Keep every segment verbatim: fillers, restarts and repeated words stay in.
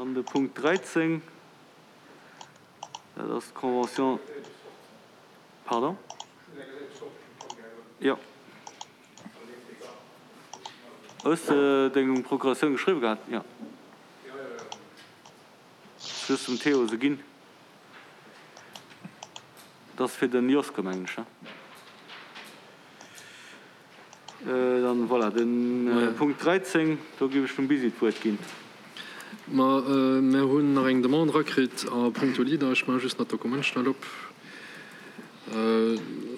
Dann de Punkt dräizéng, dat ass d'Convention, pardon? Jo. Hues de deng Procuratioun geschriwwe gehat? Jo. Just dem Théo se ginn. Dat ass fir den Joske, mengen ech, ne? Dann, voilà, de Punkt dräizéng, do géif ech dem Bisi d'Wuert ginn. Ma mär hunn nach eng Demande erakritt a puncto Leader. Ech maache just nach d'Dokument schnell op,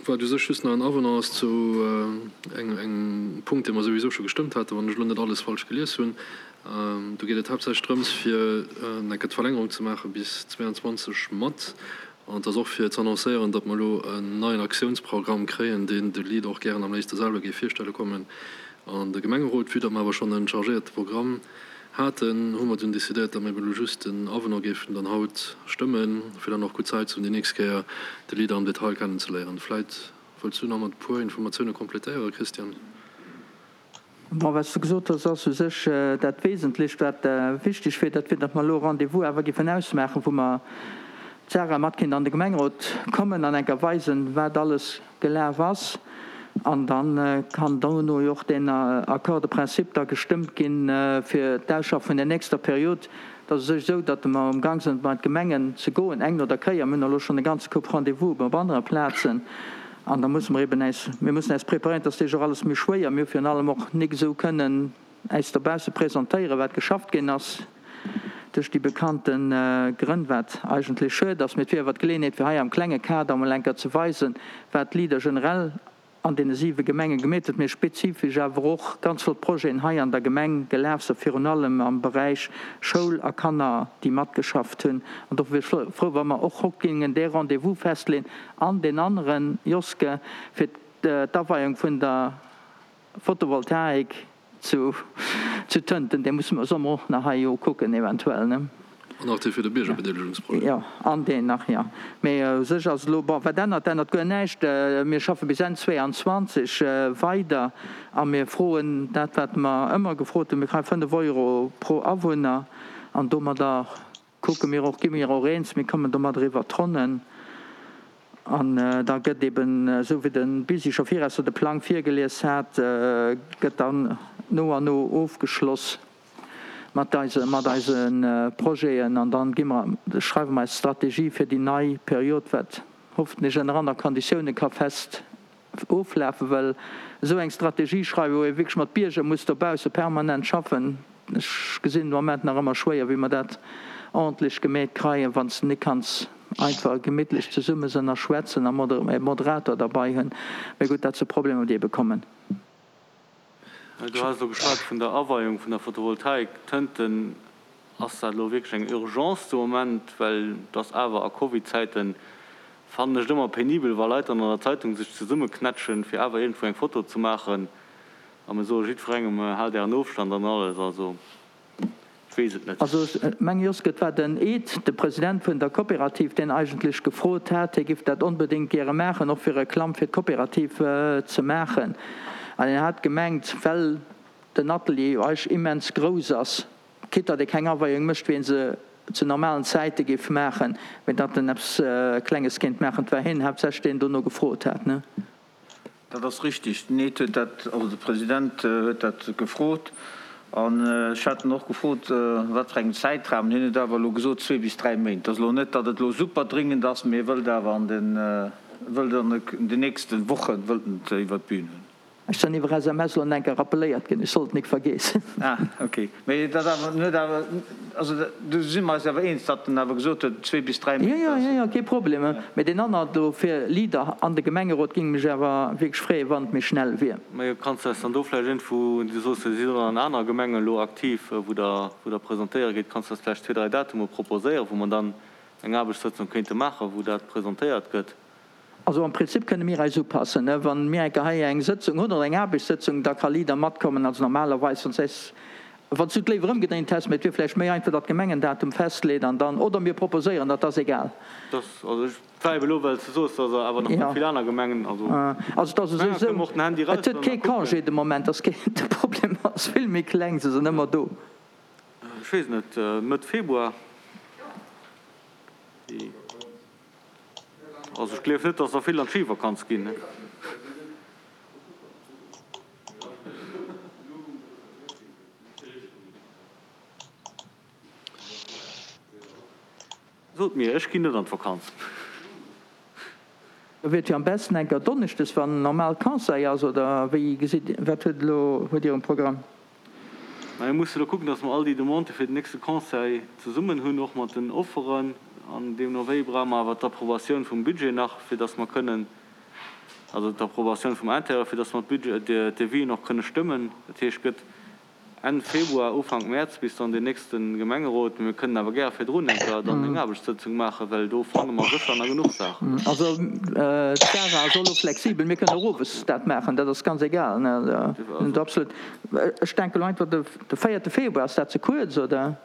wat u sech just nach en Avenant ass zu engem Punkt, dee mer souwisou scho gestëmmt haten, wann ech elo net alles falsch gelies hunn. Do geet et haaptsächlech drëms, fir eng Kéier d'Verlängerung ze maache bis zwéianzwanzeg mat. An et ass och fir z'annoncéieren, datt mer elo en neien Aktiounsprogramm kréien, deen de Leader och gären am léifste selwer géif virstelle kommen an de Gemengerot. Vue datt mer awer schonn e chargéierte Programm haten, hu mer dunn decidéiert, datt mer eben elo just den Avenant géifen dann haut stëmmen, fir dann och gutt Zäit ze hunn, déi nächst Kéier de Leader am Detail kennenzeléieren. Vläit wëlls du nach mat e puer Informatioune complétéieren, Christian? Bon, wat s de gesot hues, ass u sech dat Wesentlecht, wat wichteg wier, dat wier, datt mer elo e Rendez-vous awer géifen ausmaachen, wou mer d'Sarah mat kéint an de Gemengerot kommen an eng Kéier weisen, wat alles gelaf ass. An da kann dono jo och deen Accord de principe da gestëmmt ginn fir d'Ausschaffe vun der nächster Period. Et ass u sech esou, datt mer amgang sinn, bei d'Gemengen ze goen, eng no der Kéier. Mir hunn elo schonn e ganze Koup Rendez-vousen op anere Plazen. An da musse mer eben äis, mir mussen äis preparéieren, et ass deeg och alles méi schwéier. Mir hu virun allem och nik esou kënnen äis dobausse presentéieren, wat geschafft ginn ass, duerch déi bekannte Grënn, wat eigentlech schued ass. Mee et wier awer d'Geleeënheet, fir hei am klenge Kader emol eng Kéier ze weisen, wat d'Leader generell an deene siwe Gemenge gemeet huet, mee spezifesch awer och ganz flott Projeten hei an der Gemeng gelaf sinn, virun allem am Beräich Schoul a Kanner, déi matgeschafft hunn. An dofir wier ech frou, wa mer och haut géingen dee Rendez-vous festleeën an deen aneren, Joske, fir d'Aweiung vun der Photovoltaik zu Tënten, dee musse mer, solle mer och nach hei jo kucken eventuell, ne? An nach dee fir de Biergerbedeelegungsprojet. Jo, an deen nach, jo. Mee u sech ass elo, bon, wat ännert? Ännert guer näischt. Mir schaffe bis Enn zwéianzwanzeg weider a mir froen dat, wat mer ëmmer gefrot hunn, mir kréie fënnef Euro pro Awunner an domadder kucke mir och, gi mir och eens, mir kommen domadder iwwert d'Ronnen. An da gëtt eben, esou wéi de Bisi scho virausser de Plang virgelies hat, gëtt dann no an no ofgeschloss mat eise, mat eise Projeten. An dann gi mer, schreiwe mer eis Strategie fir déi nei Period, wat hoffentlech ënner aner Konditioune ka fest oflafen, well esou eng Strategie schreiwen, wou ee wierklech mat Bierger muss dobausse permanent schaffen, ech gesinn de Moment nach ëmmer schwéier, wéi mer dat ordentlech gemeet kreien, wann s de nik kanns einfach gemittlech zesumme sënn a schwätzen a e Moderator derbei hunn. Mee gutt, dat si Problemer, déi ebe kommen. Du has elo geschwat vun der Aweiung vun der Photovoltaik. Tënten, ass dat elo wierklech eng Urgence de Moment? Well et ass awer a Covid-Zäiten, fannen ech et ëmmer penibel, wa Leit dann an der Zeitung sech zesummeknätschen, fir awer iergendwou eng Foto ze maachen. A mir soe jiddwerengem, Haalt Ären Ofstand an alles. Also, ech weess et net. Also ech mengen, Joske, et war den Ed, de President vun der Coopérative, deen eigentlech gefrot hat, hie giff dat onbedéngt gäre maachen, och fir Reklamm fir d'Coopérative ze maachen. An hien hat gemengt, well den Atelier jo eigentlech immens grouss ass, quitte datt ee keng Aweiung mécht, wéi ee se zu normalen Zäite géif maachen, mee datt en eppes Klenges kéint maachen. Et war hien haaptsächlech, deen dono gefrot hat, ne? Dat ass richtig. Den Ed huet dat, also de President huet dat gefrot. An ech hat en och gefrot, wat fir engem Zäitrahmen. Hien huet awer elo gesot, zwee bis dräi Méint. Et ass elo net, datt et elo super dringend ass, mee e wëllt awer an den, wëllt an den nächste Woche wëllt en et iwwert d'Bühn hunn. Ech sen iwwer S M S lo enker rappeléiert gin, ech sollt nik vergeessen. Ah, ok. Mee dat awer, en huet awer, also do si mer eis awer eens, datt en awer gesot huet, zwee bis dräi Méint. Jo, jo, jo, jo, kee Problem. Mee deen anner do fir Leader an de Gemengerot ging mech awer wierklech freeën, wann et méi schnell wier. Majo, kanns de eis dann do vläicht iergendwou, du soos jo, dir sidd och an aner Gemengen elo aktiv, wou der, wou der presentéiere gitt, kanns de eis vläicht zwee, dräi Datume proposéieren, wou mer dann eng Aarbechtssëtzung kéinte maachen, wou dat presentéiert gëtt? Also am Prinzip kënne mir eis upassen. Wa mir eng Kéier hei eng Sëtzung hunn oder eng Aarbechtssëtzung, da ka Leader matkommen. Also normalerweis, wann s eis, wann s du et léiwer ëmgedréint häss, mee et wier vläicht méi einfach, datt d'Gemeng en Datum festleet an dann, oder mir proposéieren dat, ass egal. Dass, also ech war ebe elo, well s de soos, dass der awer nach net vill aner Gemengen, also Also et ass u sech kënne mer esou, och den Handy et huet eraushuelen kee a kucken. Congé de Moment, ass keen, de Problem ass vill méi kleng, se sinn ëmmer do. Ech weess net, Mëtt Februar? Also ech gleef net, dass der vill an d'Schivakanz ginn. Sot mir, ech ginn net an d'Vakanz. Da wier et jo am besten enker donneschdes, wann normal Conseil ass, oder wéi gesitt, wat huet elo, huet Dir um Programm? Mä mir musse elo kucken, dass mer all déi Demandë fir den nächste Conseil zesummen hunn, och mat den Offeren. An deemno wéi brauche mer awer d'Approbatioun vum Budget nach, fir dass mer kënnen, also d'Approbatioun vum Intérieur, fir dass mer d'Budget, d'Devisen och kënne stëmmen. Dat heescht, gëtt Enn Februar, Ufank Mäerz bis dann deen nächste Gemengerot. Mee mir kënnen awer gäre virdrun eng Kéier dann eng Aarbechtssëtzung maachen, well do fanne mer sécher nach genuch Saachen. Also d'Sarah ass och elo flexibel, mir kënnen och owes dat maachen, dat ass ganz egal. Absolut. Ech denken elo einfach de véierte Februar, ass dat ze kuerz oder?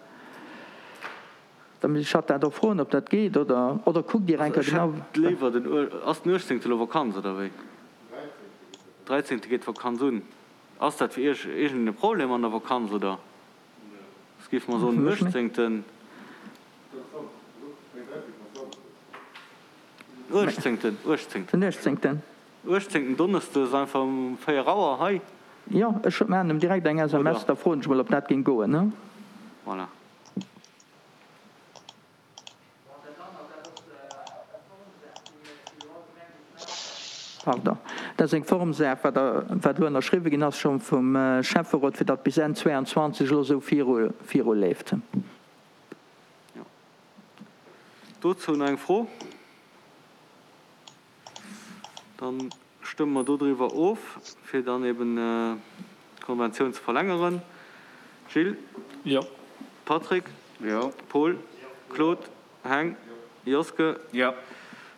Da misst ech hatt dat och froen, ob dat geet oder oder kuckt Dir eng Kéier genau. Ech hätt léiwer den, ass den uechtzéngte elo Vakanz oder wéi? Dräizéngte geet d'Vakanz un. Ass dat fir Iech iergendeen e Problem an der Vakanz oder? Soss géife mer soen den uechtzéngten. Uechtzéngten, uechtzéngten. Den uechtzéngten. Uechtzéngten Donneschdes einfach um véier Auer hei. Jo, ech maachen em direkt eng S M S, da froen ech mol ob dat géing goen. Voilà. Pardon, dat ass eng Formsaach, wat wat elo ënnerschriwwe ginn ass scho vum Schäfferot, fir datt bis Enn zwéianzwanzeg elo esou viru viruleeft. Jo. Dozou nach eng Fro? Dann stëmme mer dodriwwer of, fir dann eben d'Konventioun ze verlängeren. Gilles? Jo. Patrick? Jo. Paul? Claude? Heng? Joske? Jo.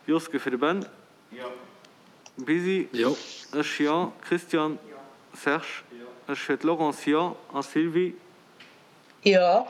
Joske fir de Ben? Jo. Bisi? Jo. Ech, jo. Christian? Jo. Serge? Jo. Ech fir d'Laurence, jo. A Sylvie? Jo.